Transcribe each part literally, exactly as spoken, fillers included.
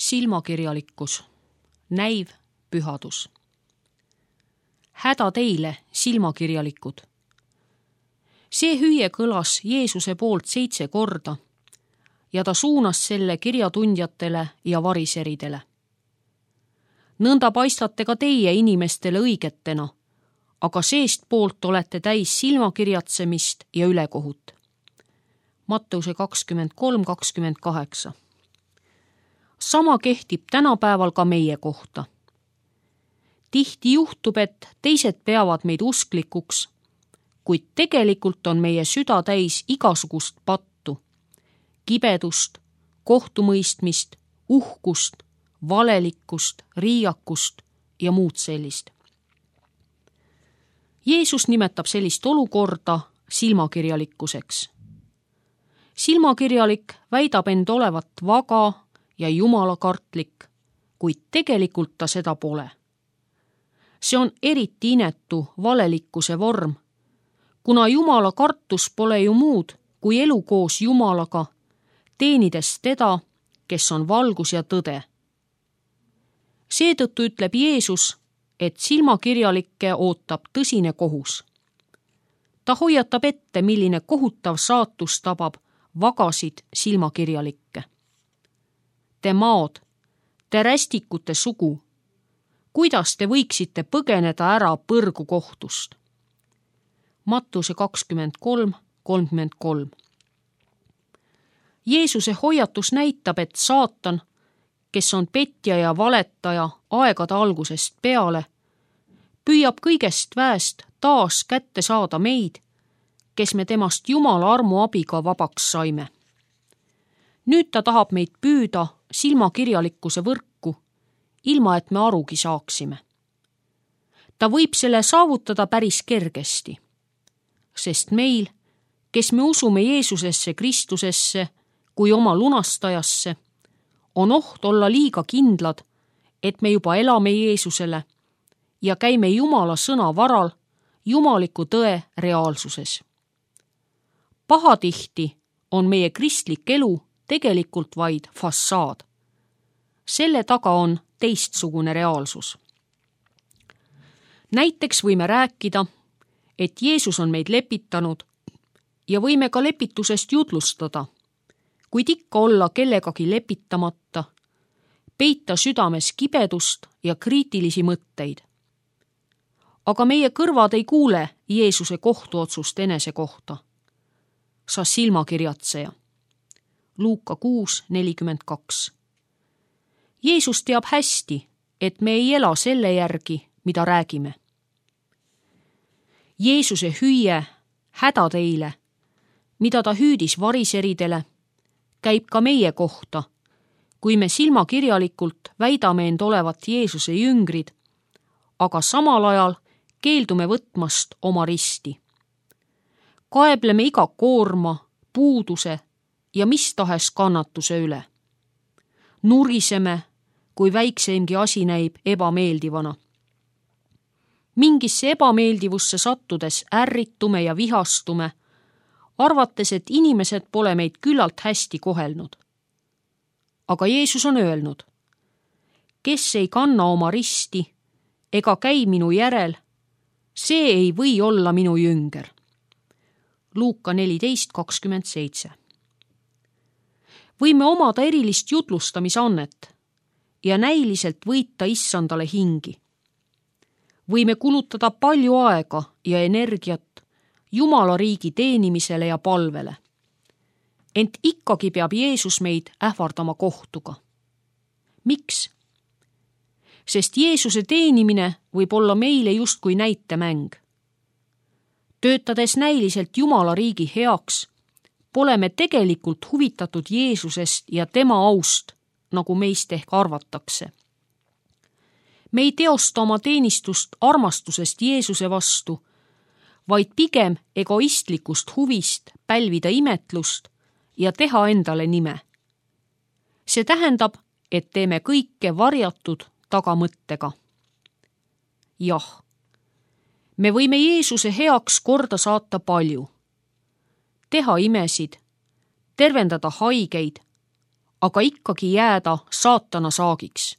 Silmakirjalikkus, näiv pühadus. Häda teile, silmakirjalikud. See hüüe kõlas Jeesuse poolt seitse korda ja ta suunas selle kirjatundjatele ja variseridele. Nõnda paistate ka teie inimestele õigetena, aga seestpoolt olete täis silmakirjatsemist ja ülekohut. Matteuse kakskümmend kolm kakskümmend kaheksa. Sama kehtib tänapäeval ka meie kohta. Tihti juhtub, et teised peavad meid usklikuks, kuid tegelikult on meie süda täis igasugust pattu, kibedust, kohtumõistmist, uhkust, valelikkust, riiakust ja muud sellist. Jeesus nimetab sellist olukorda silmakirjalikkuseks. Silmakirjalik väidab end olevat vaga ja jumalakartlik, kuid tegelikult ta seda pole. See on eriti inetu valelikkuse vorm, kuna jumala kartus pole ju muud kui elu koos Jumalaga, teenides teda, kes on valgus ja tõde. Seetõttu ütleb Jeesus, et silmakirjalikke ootab tõsine kohus. Ta hoiatab ette, milline kohutav saatus tabab vagasid silmakirjalikke. Te maod, te rästikute sugu, kuidas te võiksite põgeneda ära põrgu kohtust? Mattuse kakskümmend kolm kolmkümmend kolm. Jeesuse hoiatus näitab, et saatan, kes on petja ja valetaja aegade algusest peale, püüab kõigest väest taas kätte saada meid, kes me temast Jumala armu abiga vabaks saime. Nüüd ta tahab meid püüda silmakirjalikkuse võrku, ilma et me arugi saaksime. Ta võib selle saavutada päris kergesti, sest meil, kes me usume Jeesusesse Kristusesse kui oma lunastajasse, on oht olla liiga kindlad, et me juba elame Jeesusele ja käime Jumala sõna varal jumaliku tõe reaalsuses. Pahatihti on meie kristlik elu tegelikult vaid fassaad. Selle taga on teistsugune reaalsus. Näiteks võime rääkida, et Jeesus on meid lepitanud ja võime ka lepitusest jutlustada, kuid ikka olla kellegagi lepitamata, peita südames kibedust ja kriitilisi mõtteid. Aga meie kõrvad ei kuule Jeesuse kohtuotsust enese kohta. Sa silmakirjatseja. Luuka kuus nelikümmend kaks. Jeesus teab hästi, et me ei ela selle järgi, mida räägime. Jeesuse hüüe häda teile, mida ta hüüdis variseridele, käib ka meie kohta, kui me silmakirjalikult väidame end olevat Jeesuse jüngrid, aga samal ajal keeldume võtmast oma risti. Kaebleme iga koorma, puuduse ja mis tahes kannatuse üle. Nuriseme, kui väikseimgi asi näib ebameeldivana. Mingisse ebameeldivusse sattudes ärritume ja vihastume, arvates, et inimesed pole meid küllalt hästi kohelnud. Aga Jeesus on öelnud, kes ei kanna oma risti ega käi minu järel, see ei või olla minu jünger. Luuka neliteist kakskümmend seitse. Võime omada erilist jutlustamisannet ja näiliselt võita issandale hingi. Võime kulutada palju aega ja energiat Jumala riigi teenimisele ja palvele. Ent ikkagi peab Jeesus meid ähvardama kohtuga. Miks? Sest Jeesuse teenimine võib olla meile justkui näitemäng. Töötades näiliselt Jumala riigi heaks, pole me tegelikult huvitatud Jeesusest ja tema aust, nagu meist ehk arvatakse. Me ei teosta oma teenistust armastusest Jeesuse vastu, vaid pigem egoistlikust huvist pälvida imetlust ja teha endale nime. See tähendab, et teeme kõike varjatud tagamõttega. Jah, me võime Jeesuse heaks korda saata palju, teha imesid, tervendada haigeid, aga ikkagi jääda saatana saagiks,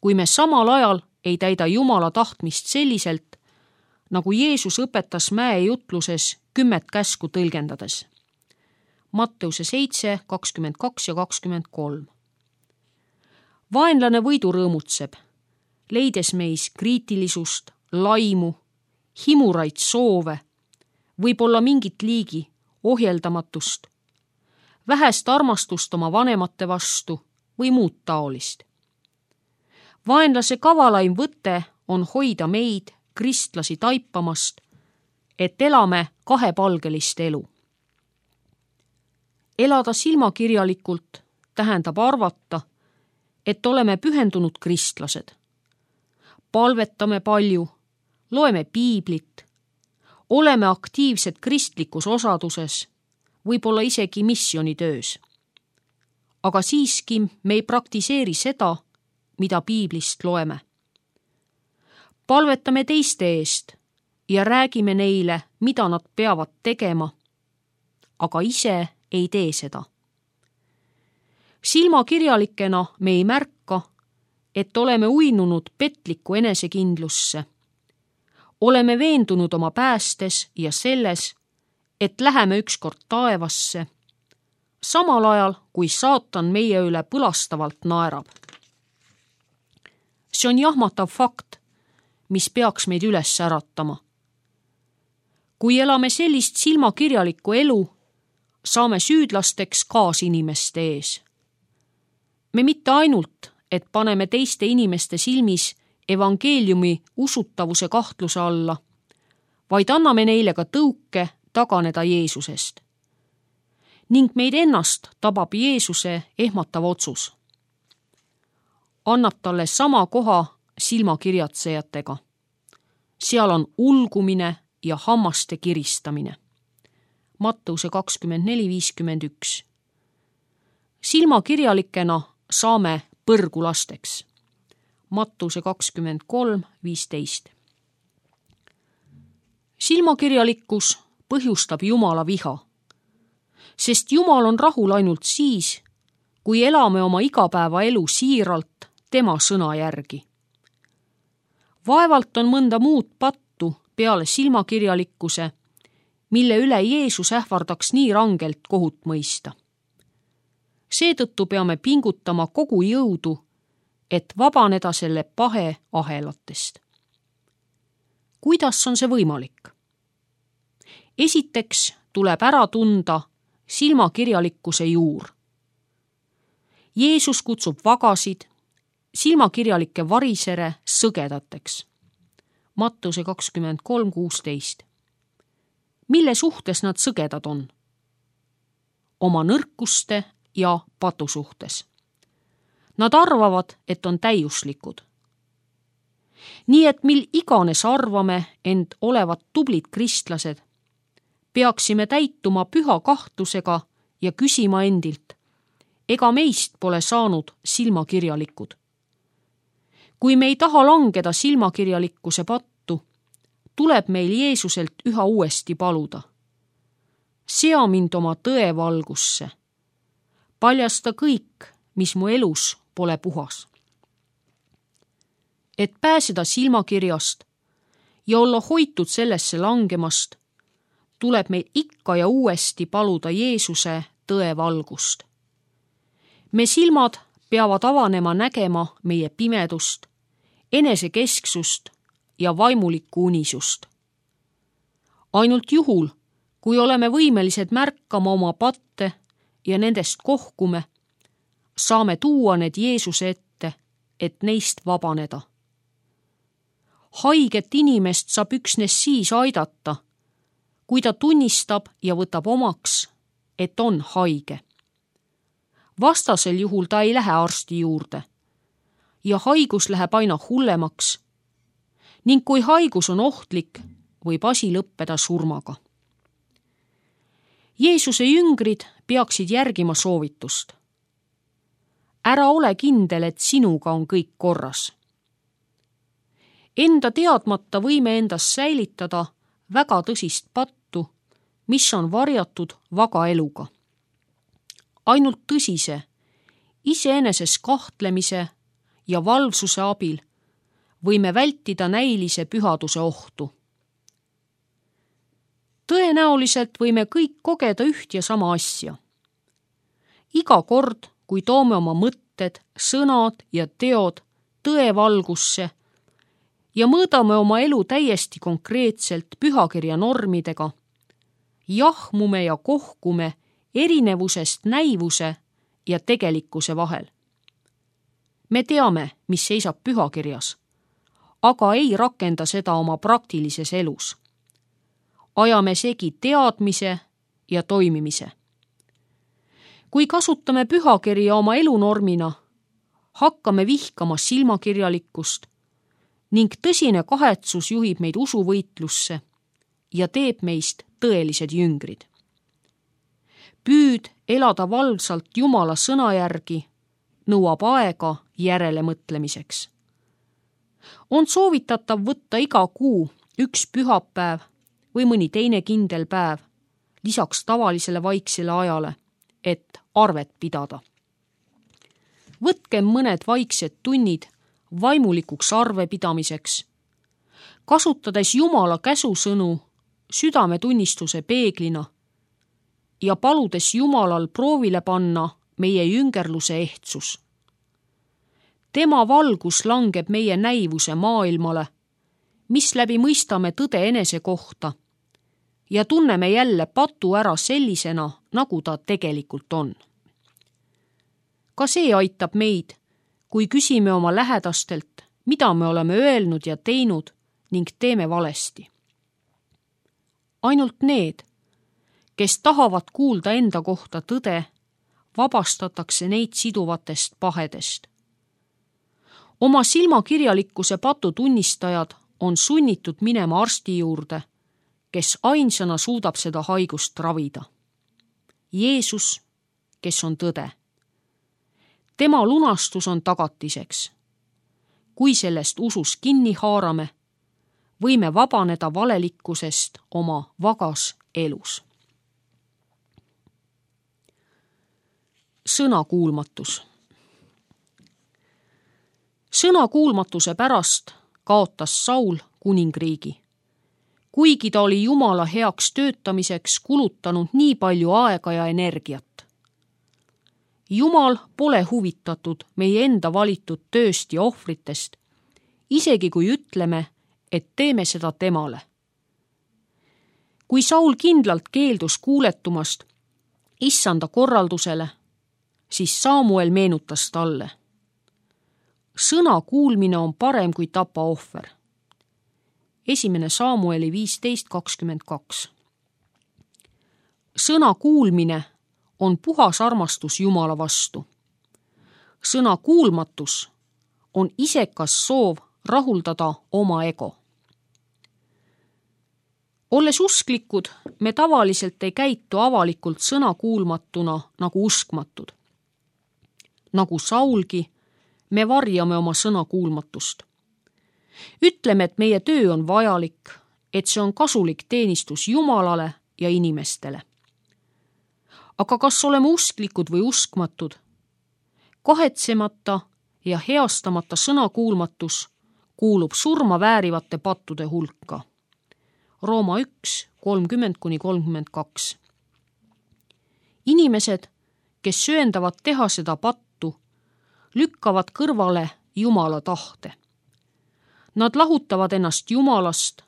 kui me samal ajal ei täida Jumala tahtmist selliselt, nagu Jeesus õpetas mäejutluses kümmet käsku tõlgendades. Matteuse seitse, kakskümmend kaks ja kakskümmend kolm. Vaenlane võidu rõõmutseb, leides meis kriitilisust, laimu, himuraid soove, võib-olla mingit liigi ohjeldamatust, vähest armastust oma vanemate vastu või muud taolist. Vaenlase kavalaim võte on hoida meid, kristlasi, taipamast, et elame kahepalgelist elu. Elada silmakirjalikult tähendab arvata, et oleme pühendunud kristlased. Palvetame palju, loeme piiblit, oleme aktiivsed kristlikus osaduses, võib-olla isegi missioonitöös. Aga siiski me ei praktiseeri seda, mida piiblist loeme. Palvetame teiste eest ja räägime neile, mida nad peavad tegema, aga ise ei tee seda. Silmakirjalikena me ei märka, et oleme uinunud petlikku enesekindlusse. Oleme veendunud oma päästes ja selles, et läheme ükskord taevasse, samal ajal kui saatan meie üle põlastavalt naerab. See on jahmatav fakt, mis peaks meid üles äratama. Kui elame sellist silmakirjalikku elu, saame süüdlasteks kaasinimeste ees. Me mitte ainult, et paneme teiste inimeste silmis evangeeliumi usutavuse kahtluse alla, vaid anname neile ka tõuke taganeda Jeesusest. Ning meid ennast tabab Jeesuse ehmatav otsus. Annab talle sama koha silmakirjatsejatega. Seal on ulgumine ja hammaste kiristamine. Matteuse kakskümmend neli viiskümmend üks. Silmakirjalikena saame põrgulasteks. Matteuse kakskümmend kolm viisteist. Silmakirjalikkus põhjustab Jumala viha, sest Jumal on rahul ainult siis, kui elame oma igapäevaelu siiralt tema sõna järgi. Vaevalt on mõnda muud pattu peale silmakirjalikkuse, mille üle Jeesus ähvardaks nii rangelt kohut mõista. Seetõttu peame pingutama kogu jõudu, et vabaneda selle pahe ahelatest. Kuidas on see võimalik? Esiteks tuleb ära tunda silmakirjalikkuse juur. Jeesus kutsub vagasid, silmakirjalikke varisere sõgedateks. Matteuse kakskümmend kolm kuusteist. Mille suhtes nad sõgedad on? Oma nõrkuste ja patu suhtes. Nad arvavad, et on täiuslikud. Nii et mil iganes arvame end olevat tublid kristlased, peaksime täituma püha kahtlusega ja küsima endilt, ega meist pole saanud silmakirjalikud. Kui me ei taha langeda silmakirjalikkuse pattu, tuleb meil Jeesuselt üha uuesti paluda. Sea mind oma tõe valgusse. Paljasta kõik, mis mu elus pole puhas. Et pääseda silmakirjast ja olla hoitud sellesse langemast, tuleb meil ikka ja uuesti paluda Jeesuse tõe valgust. Me silmad peavad avanema nägema meie pimedust, enesekesksust ja vaimulikku unisust. Ainult juhul, kui oleme võimelised märkama oma patte ja nendest kohkume, saame tuua need Jeesuse ette, et neist vabaneda. Haiget inimest saab üksnes siis aidata, kui ta tunnistab ja võtab omaks, et on haige. Vastasel juhul ta ei lähe arsti juurde ja haigus läheb aina hullemaks ning kui haigus on ohtlik, võib asi lõppeda surmaga. Jeesuse jüngrid peaksid järgima soovitust. Ära ole kindel, et sinuga on kõik korras. Enda teadmata võime endas säilitada väga tõsist pattu, mis on varjatud vaga eluga. Ainult tõsise, iseeneses kahtlemise ja valvsuse abil võime vältida näilise pühaduse ohtu. Tõenäoliselt võime kõik kogeda üht ja sama asja. Iga kord, kui toome oma mõtted, sõnad ja teod tõe valgusse ja mõõdame oma elu täiesti konkreetselt pühakirja normidega, jahmume ja kohkume erinevusest näivuse ja tegelikkuse vahel. Me teame, mis seisab pühakirjas, aga ei rakenda seda oma praktilises elus. Ajame segi teadmise ja toimimise. Kui kasutame pühakirja oma elunormina, hakkame vihkama silmakirjalikkust ning tõsine kahetsus juhib meid usuvõitlusse ja teeb meist tõelised jüngrid. Püüd elada valvsalt Jumala sõna järgi nõuab aega järelemõtlemiseks. On soovitatav võtta iga kuu üks pühapäev või mõni teine kindel päev lisaks tavalisele vaiksele ajale, et arvet pidada. Võtkem mõned vaiksed tunnid vaimulikuks arvepidamiseks, kasutades Jumala käsusõnu südametunnistuse peeglina ja paludes Jumalal proovile panna meie jüngerluse ehtsus. Tema valgus langeb meie näivuse maailmale, mis läbi mõistame tõde enese kohta ja tunneme jälle patu ära sellisena, nagu ta tegelikult on. Ka see aitab meid, kui küsime oma lähedastelt, mida me oleme öelnud ja teinud ning teeme valesti. Ainult need, kes tahavad kuulda enda kohta tõde, vabastatakse neid siduvatest pahedest. Oma silmakirjalikkuse patu tunnistajad on sunnitud minema arsti juurde, kes ainsana suudab seda haigust ravida. Jeesus, kes on tõde. Tema lunastus on tagatiseks. Kui sellest usus kinni haarame, võime vabaneda valelikkusest oma vagas elus. Sõnakuulmatus. Sõnakuulmatuse pärast kaotas Saul kuningriigi, kuigi ta oli Jumala heaks töötamiseks kulutanud nii palju aega ja energiat. Jumal pole huvitatud meie enda valitud tööst ja ohvritest, isegi kui ütleme, et teeme seda temale. Kui Saul kindlalt keeldus kuuletumast issanda korraldusele, siis Samuel meenutas talle. Sõna kuulmine on parem kui tapa ohver. Esimene Samueli viisteist kakskümmend kaks. Sõna kuulmine on puhas armastus Jumala vastu. Sõna kuulmatus on isekas soov rahuldada oma ego. Olles usklikud, me tavaliselt ei käitu avalikult sõna kuulmatuna nagu uskmatud. Nagu Saulgi, me varjame oma sõna kuulmatust. Ütleme, et meie töö on vajalik, et see on kasulik teenistus Jumalale ja inimestele. Aga kas oleme usklikud või uskmatud? Kahetsemata ja heastamata sõna kuulmatus kuulub surma väärivate pattude hulka. Rooma üks, kolmkümmend kuni kolmkümmend kaks. Inimesed, kes sööndavad teha seda pattu, lükkavad kõrvale Jumala tahte. Nad lahutavad ennast Jumalast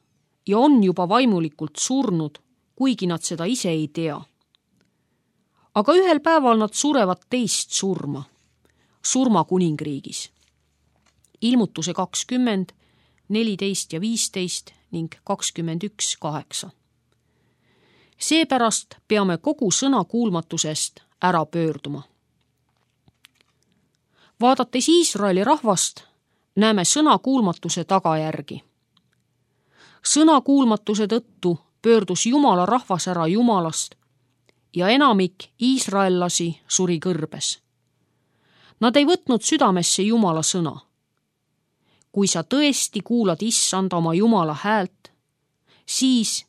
ja on juba vaimulikult surnud, kuigi nad seda ise ei tea. Aga ühel päeval nad surevad teist surma, surma kuningriigis. Ilmutuse kakskümmend, neliteist ja viisteist ning kakskümmend üks kaheksa. Seepärast peame kogu sõna kuulmatusest ära pöörduma. Vaadates Iisraeli rahvast, näeme sõna kuulmatuse tagajärgi. Sõna kuulmatuse tõttu pöördus Jumala rahvas ära Jumalast ja enamik iisraellasi suri kõrbes. Nad ei võtnud südamesse Jumala sõna. Kui sa tõesti kuulad issanda oma Jumala häält, siis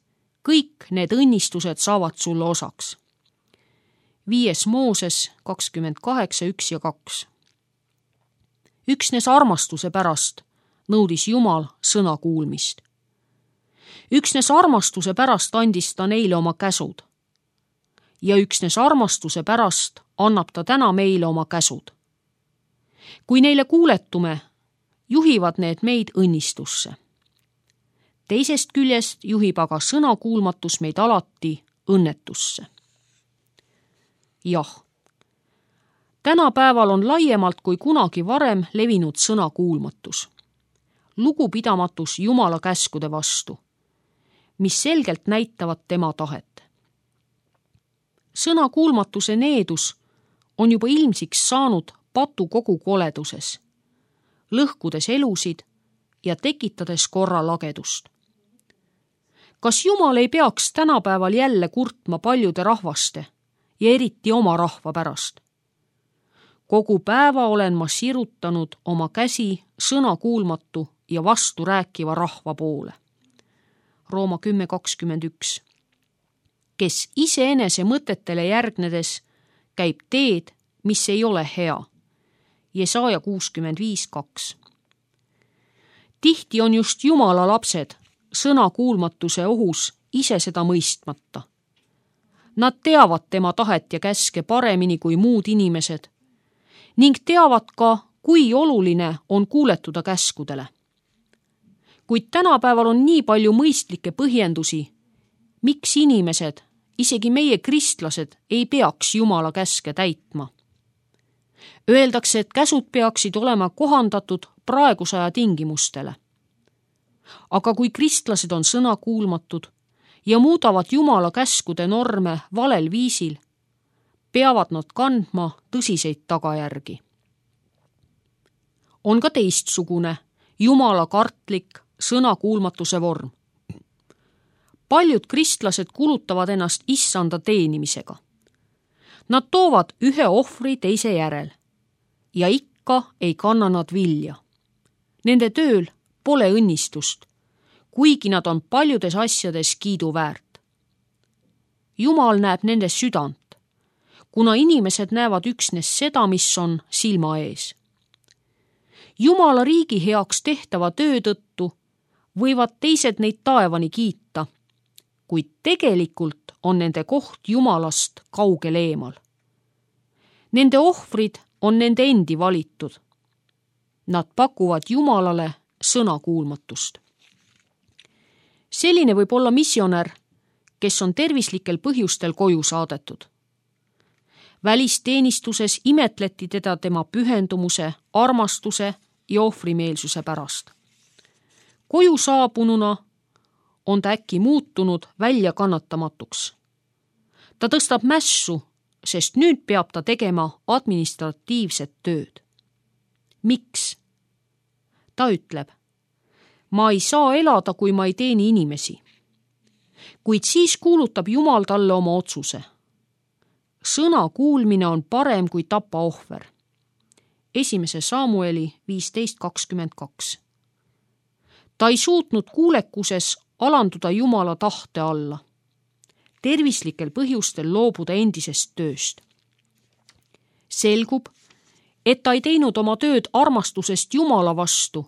kõik need õnnistused saavad sulle osaks. viies Mooses kakskümmend kaheksa, üks ja kaks. Üksnes armastuse pärast nõudis Jumal sõna kuulmist. Üksnes armastuse pärast andis ta neile oma käsud. Ja üksnes armastuse pärast annab ta täna meile oma käsud. Kui neile kuuletume, juhivad need meid õnnistusse. Teisest küljest juhib aga sõnakuulmatus meid alati õnnetusse. Jah, tänapäeval on laiemalt kui kunagi varem levinud sõnakuulmatus. Lugupidamatus Jumala käskude vastu, mis selgelt näitavad tema tahet. Sõnakuulmatuse needus on juba ilmsiks saanud patu kogu koleduses, lõhkudes elusid ja tekitades korra lagedust. Kas Jumal ei peaks tänapäeval jälle kurtma paljude rahvaste ja eriti oma rahva pärast? Kogu päeva olen ma sirutanud oma käsi sõnakuulmatu ja vastu rääkiva rahva poole. Rooma kümme kakskümmend üks. Kes iseenese mõtetele järgnedes käib teed, mis ei ole hea. Jesaja kuuskümmend viis kaks. Tihti on just Jumala lapsed sõnakuulmatuse ohus ise seda mõistmata. Nad teavad tema tahet ja käske paremini kui muud inimesed ning teavad ka, kui oluline on kuuletuda käskudele. Kuid tänapäeval on nii palju mõistlikke põhjendusi, miks inimesed, isegi meie kristlased, ei peaks Jumala käske täitma. Öeldakse, et käsud peaksid olema kohandatud praeguse aja tingimustele. Aga kui kristlased on sõnakuulmatud ja muudavad Jumala käskude norme valel viisil, peavad nad kandma tõsiseid tagajärgi. On ka teistsugune, Jumala kartlik sõnakuulmatuse vorm. Paljud kristlased kulutavad ennast issanda teenimisega. Nad toovad ühe ohvri teise järel ja ikka ei kanna nad vilja. Nende tööl pole õnnistust, kuigi nad on paljudes asjades kiiduväärt. Jumal näeb nende südant, kuna inimesed näevad üksnes seda, mis on silma ees. Jumala riigi heaks tehtava töö tõttu võivad teised neid taevani kiita, kuid tegelikult on nende koht Jumalast kaugel eemal. Nende ohvrid on nende endi valitud. Nad pakuvad Jumalale sõnakuulmatust. Selline võib olla missionär, kes on tervislikel põhjustel koju saadetud. Välisteenistuses imetleti teda tema pühendumuse, armastuse ja ohvrimeelsuse pärast. Koju saabununa on ta äkki muutunud välja kannatamatuks. Ta tõstab mässu, sest nüüd peab ta tegema administratiivset tööd. Miks? Ta ütleb, ma ei saa elada, kui ma ei teeni inimesi. Kuid siis kuulutab Jumal talle oma otsuse. Sõna kuulmine on parem kui tapa ohver. Esimese Samueli viisteist kakskümmend kaks. Ta ei suutnud kuulekuses alanduda Jumala tahte alla, tervislikel põhjustel loobuda endisest tööst. Selgub, et ta ei teinud oma tööd armastusest Jumala vastu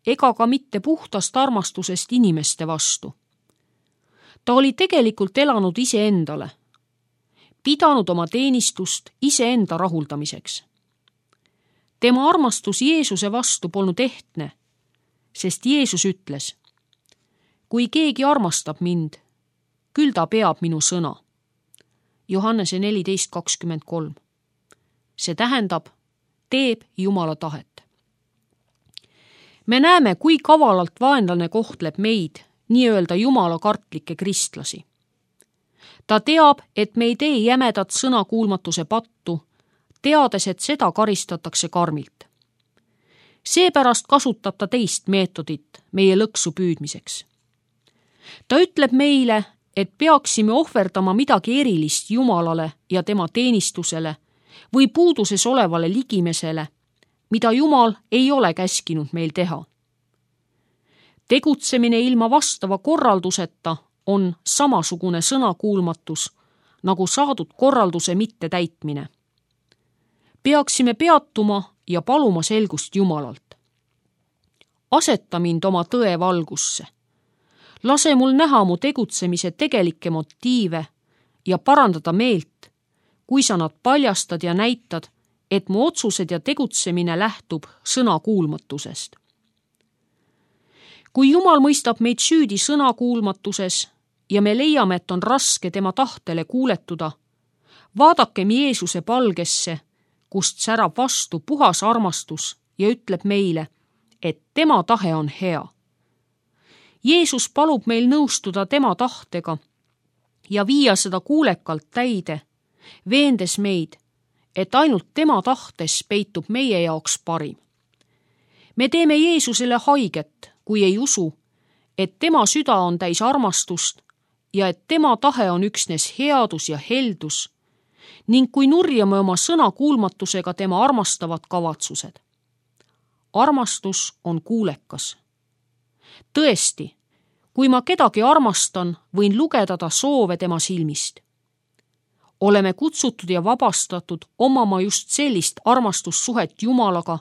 ega ka mitte puhtast armastusest inimeste vastu. Ta oli tegelikult elanud iseendale, pidanud oma teenistust iseenda rahuldamiseks. Tema armastus Jeesuse vastu polnud ehtne, sest Jeesus ütles, kui keegi armastab mind, küll ta peab minu sõna. Johannese neliteist kakskümmend kolm. See tähendab, teeb Jumala tahet. Me näeme, kui kavalalt vaenlane kohtleb meid, nii-öelda Jumala kartlikke kristlasi. Ta teab, et me ei tee jämedat sõnakuulmatuse pattu, teades, et seda karistatakse karmilt. Seepärast kasutab ta teist meetodit meie lõksu püüdmiseks. Ta ütleb meile, et peaksime ohverdama midagi erilist Jumalale ja tema teenistusele või puuduses olevale ligimesele, mida Jumal ei ole käskinud meil teha. Tegutsemine ilma vastava korralduseta on samasugune sõnakuulmatus, nagu saadud korralduse mittetäitmine. Peaksime peatuma ja paluma selgust Jumalalt. Aseta mind oma tõe valgusse. Lase mul näha mu tegutsemise tegelikke motiive ja parandada meelt, kui sa nad paljastad ja näitad, et mu otsused ja tegutsemine lähtub sõnakuulmatusest. Kui Jumal mõistab meid süüdi sõnakuulmatuses ja me leiame, et on raske tema tahtele kuuletuda, vaadakem Jeesuse palgesse, kust särab vastu puhas armastus ja ütleb meile, et tema tahe on hea. Jeesus palub meil nõustuda tema tahtega ja viia seda kuulekalt täide, veendes meid, et ainult tema tahtes peitub meie jaoks parim. Me teeme Jeesusele haiget, kui ei usu, et tema süda on täis armastust ja et tema tahe on üksnes headus ja heldus, ning kui nurjame oma sõnakuulmatusega tema armastavad kavatsused. Armastus on kuulekas. Tõesti, kui ma kedagi armastan, võin lugeda ta soove tema silmist. Oleme kutsutud ja vabastatud omama just sellist armastussuhet Jumalaga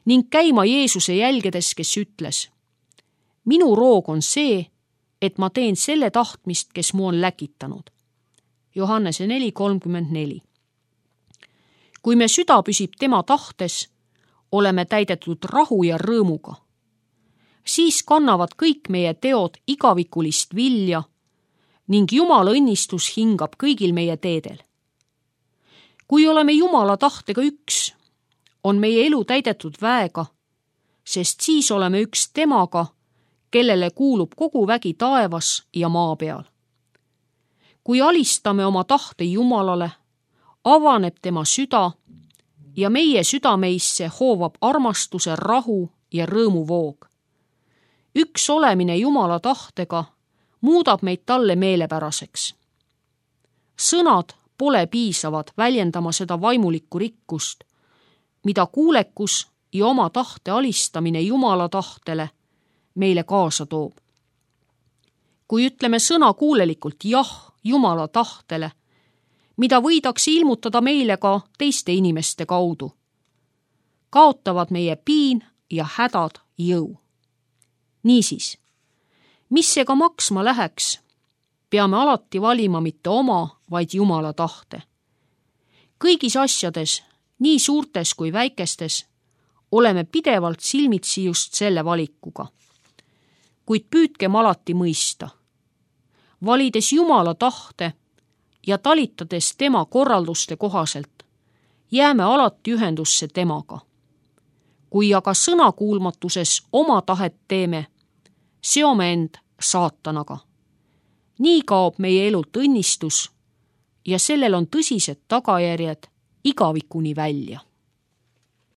ning käima Jeesuse jälgedes, kes ütles: minu roog on see, et ma teen selle tahtmist, kes mu on läkitanud. Johannese neli kolmkümmend neli. Kui me süda püsib tema tahtes, oleme täidetud rahu ja rõõmuga. Siis kannavad kõik meie teod igavikulist vilja ning Jumala õnnistus hingab kõigil meie teedel. Kui oleme Jumala tahtega üks, on meie elu täidetud väega, sest siis oleme üks temaga, kellele kuulub kogu vägi taevas ja maa peal. Kui alistame oma tahte Jumalale, avaneb tema süda ja meie südameisse hoovab armastuse, rahu ja rõõmu voog. Üks olemine Jumala tahtega muudab meid talle meelepäraseks. Sõnad pole piisavad väljendama seda vaimulikku rikkust, mida kuulekus ja oma tahte alistamine Jumala tahtele meile kaasa toob. Kui ütleme sõna kuulelikult jah Jumala tahtele, mida võidakse ilmutada meile ka teiste inimeste kaudu, kaotavad meie piin ja hädad jõu. Niisiis, mis see ka maksma läheks, peame alati valima mitte oma, vaid Jumala tahte. Kõigis asjades, nii suurtes kui väikestes, oleme pidevalt silmitsi just selle valikuga. Kuid püüdkem alati mõista. Valides Jumala tahte ja talitades tema korralduste kohaselt, jääme alati ühendusse temaga. Kui aga sõnakuulmatuses oma tahet teeme, seome end saatanaga. Nii kaob meie elult õnnistus ja sellel on tõsised tagajärjed igavikuni välja.